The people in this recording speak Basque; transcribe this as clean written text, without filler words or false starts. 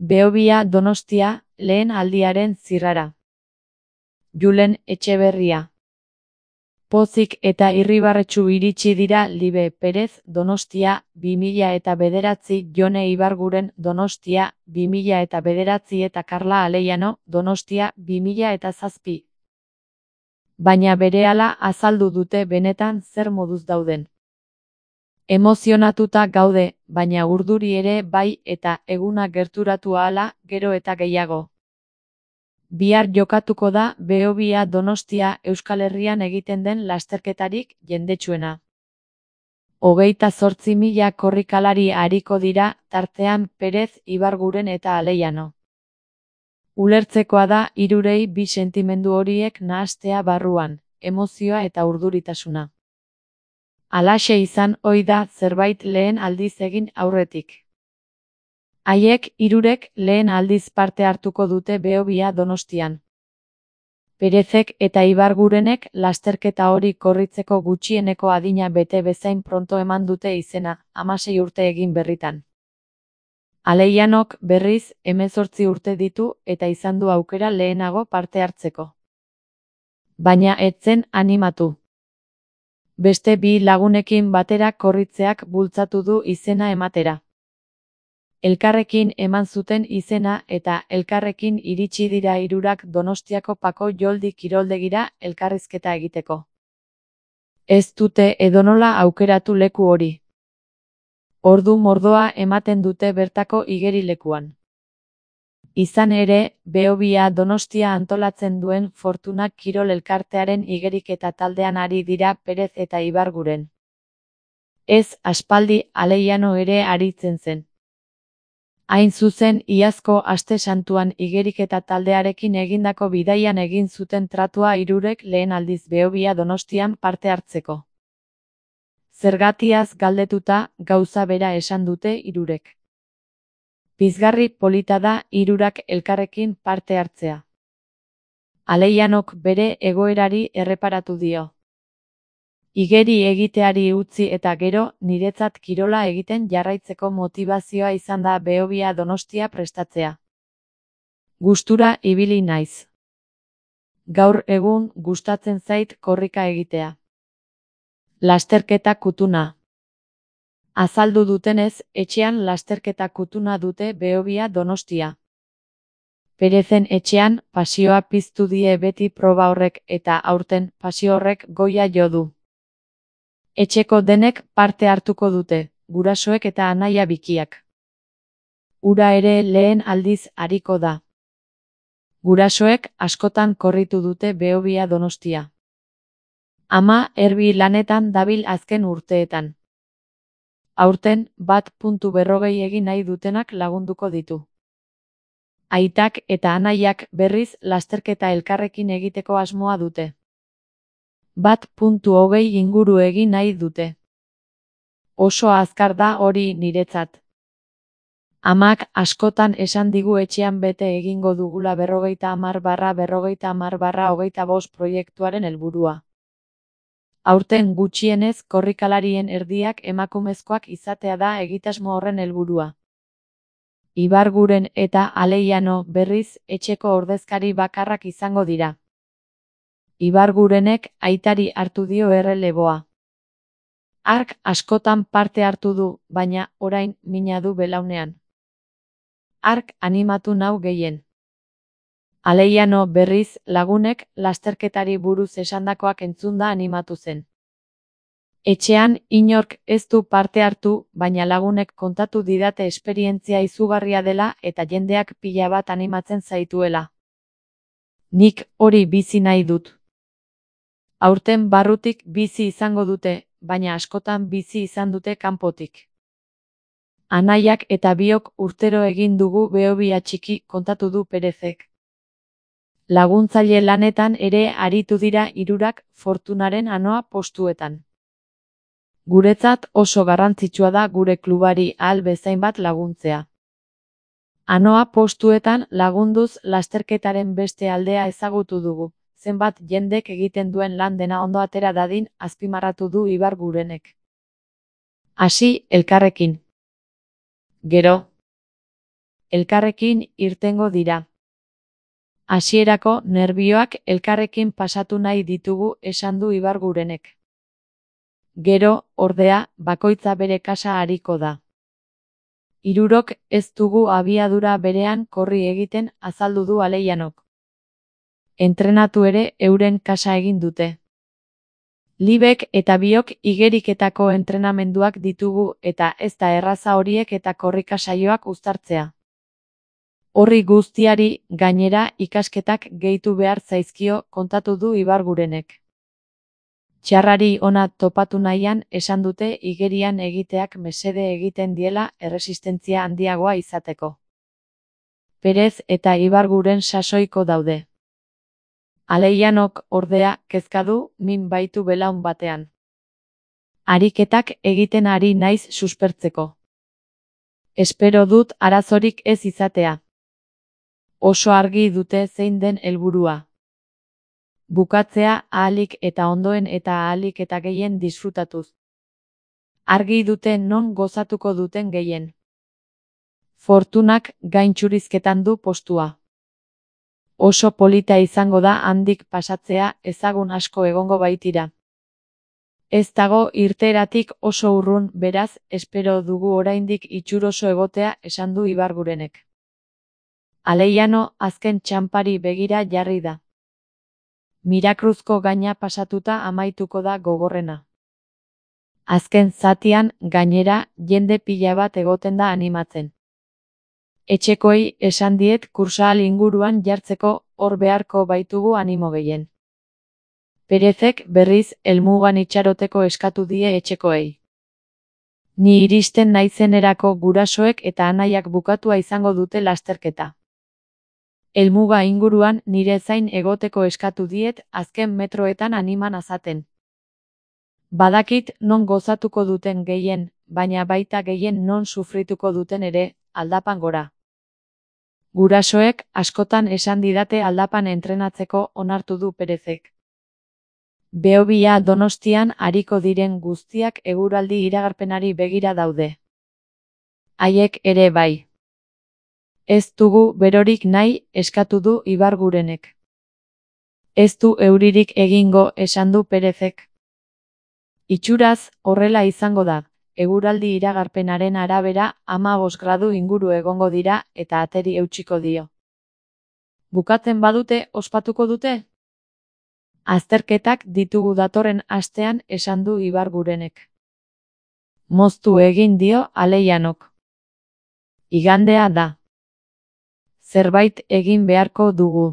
Behobia Donostia, lehen aldiaren zirrara. Julen Etxeberria. Pozik eta irribarretsu iritsi dira Libe Perez Donostia 2009, Jone Ibarguren Donostia 2009 eta Karla Aleiano Donostia 2007. Baina berehala azaldu dute benetan zer moduz dauden. Emozionatuta gaude, baina urduri ere bai eta eguna gerturatu ahala gero eta gehiago. Bihar jokatuko da Behobia Donostia Euskal Herrian egiten den lasterketarik jendetsuena. 28.000 korrikalari ariko dira, tartean Perez, Ibarguren eta Aleiano. Ulertzekoa da hirurei bi sentimendu horiek nahastea barruan, emozioa eta urduritasuna. Halaxe izan ohi da zerbait lehen aldiz egin aurretik. Haiek hirurek lehen aldiz parte hartuko dute Behobia Donostian. Perezek eta Ibargurenek lasterketa hori korritzeko gutxieneko adina bete bezain pronto eman dute izena, 16 urte egin berritan. Aleianok berriz 18 urte ditu eta izan du aukera lehenago parte hartzeko. Baina ez zen animatu. Beste bi lagunekin batera korritzeak bultzatu du izena ematera. Elkarrekin eman zuten izena eta elkarrekin iritsi dira hirurak Donostiako Pako Joldi kiroldegira elkarrizketa egiteko. Ez dute edonola aukeratu leku hori. Ordu mordoa ematen dute bertako igerilekuan. Izan ere, Behobia Donostia antolatzen duen Fortuna Kirol elkartearen igeriketa taldean ari dira Perez eta Ibarguren. Ez aspaldi Aleiano ere aritzen zen. Hain zuzen, iazko aste santuan igeriketa taldearekin egindako bidaian egin zuten tratua hirurek lehen aldiz Behobia Donostian parte hartzeko. Zergatiaz galdetuta, gauza bera esan dute hirurek. Pizgarri polita da hirurak elkarrekin parte hartzea. Aleianok bere egoerari erreparatu dio. Igeri egiteari utzi eta gero, niretzat kirola egiten jarraitzeko motibazioa izan da Behobia Donostia prestatzea. Gustura ibili naiz. Gaur egun gustatzen zait korrika egitea. Lasterketa kutuna. Azaldu dutenez, etxean lasterketa kutuna dute Behobia Donostia. Perezen etxean, pasioa piztu die beti proba horrek eta aurten pasio horrek goia jo du. Etxeko denek parte hartuko dute, gurasoek eta anaia bikiak. Ura ere lehen aldiz ariko da. Gurasoek askotan korritu dute Behobia Donostia. Ama erbi lanetan dabil azken urteetan. Aurten 1.40 egin nahi dutenak lagunduko ditu. Aitak eta anaiak berriz lasterketa elkarrekin egiteko asmoa dute. 1.20 inguru egin nahi dute. Oso azkar da hori niretzat. Amak askotan esan digu etxean bete egingo dugula 50/50/25 proiektuaren helburua. Aurten gutxienez korrikalarien erdiak emakumezkoak izatea da egitasmo horren helburua. Ibarguren eta Aleiano berriz etxeko ordezkari bakarrak izango dira. Ibargurenek aitari hartu dio erreleboa. Hark askotan parte hartu du, baina orain mina du belaunean. Hark animatu nau gehien. Aleiano berriz lagunek lasterketari buruz esandakoak entzunda animatu zen. Etxean inork ez du parte hartu, baina lagunek kontatu didate esperientzia izugarria dela eta jendeak pila bat animatzen zaituela. Nik hori bizi nahi dut. Aurten barrutik bizi izango dute, baina askotan bizi izan dute kanpotik. Anaiak eta biok urtero egin dugu Behobia txiki, kontatu du Perezek. Laguntzaile lanetan ere aritu dira hirurak Fortunaren anoa postuetan. Guretzat oso garrantzitsua da gure klubari ahal bezain bat laguntzea. Anoa postuetan lagunduz lasterketaren beste aldea ezagutu dugu. Zenbat jendek egiten duen lan dena ondo atera dadin, azpimarratu du Ibargurenek. Hasi elkarrekin. Gero. elkarrekin irtengo dira. Hasierako nerbioak elkarrekin pasatu nahi ditugu esan du Ibargurenek. Gero, ordea, bakoitza bere kasa ariko da. Hirurok ez dugu abiadura berean korri egiten azaldu du Aleianok. Entrenatu ere euren kasa egin dute. Libek eta biok igeriketako entrenamenduak ditugu eta ez da erraza horiek eta korrika saioak uztartzea. Horri guztiari, gainera, ikasketak gehitu behar zaizkio kontatu du Ibargurenek. Txarrari ona topatu nahian esan dute igerian egiteak mesede egiten diela erresistentzia handiagoa izateko. Perez eta Ibarguren sasoiko daude. Aleianok, ordea, kezka du min baitu belaun batean. Ariketak egiten ari naiz suspertzeko. Espero dut arazorik ez izatea. Oso argi dute zein den helburua. Bukatzea ahalik eta ondoen eta ahalik eta gehien disfrutatuz. Argi dute non gozatuko duten gehien. Fortunak gaintxurizketan du postua. Oso polita izango da handik pasatzea, ezagun asko egongo baitira. Ez dago irteeratik oso urrun, beraz, espero dugu oraindik itxuroso egotea esan du Ibargurenek. Aleiano azken txanpari begira jarri da. Mirakruzko gaina pasatuta amaituko da gogorrena. Azken zatian, gainera, jende pila bat egoten da animatzen. Etxekoei esan diet kursahal inguruan jartzeko hor beharko baitugu animo gehien. Perezek berriz helmugan itxaroteko eskatu die etxekoei. Ni iristen naizenerako gurasoek eta anaiak bukatua izango dute lasterketa. Helmuga inguruan nire zain egoteko eskatu diet azken metroetan animan azaten. Badakit non gozatuko duten gehien, baina baita gehien non sufrituko duten ere, aldapan gora. Gurasoek askotan esan didate aldapan entrenatzeko onartu du Perezek. Behobia Donostian ariko diren guztiak eguraldi iragarpenari begira daude. Haiek ere bai. Ez dugu berorik nahi eskatu du Ibargurenek. Ez du euririk egingo esan du Perezek. Itxuraz, horrela izango da. Eguraldi iragarpenaren arabera 15 gradu inguru egongo dira eta ateri eutsiko dio. Bukatzen badute ospatuko dute? Azterketak ditugu datorren astean esan du Ibargurenek. Moztu egin dio Aleianok. Igandea da. Zerbait egin beharko dugu.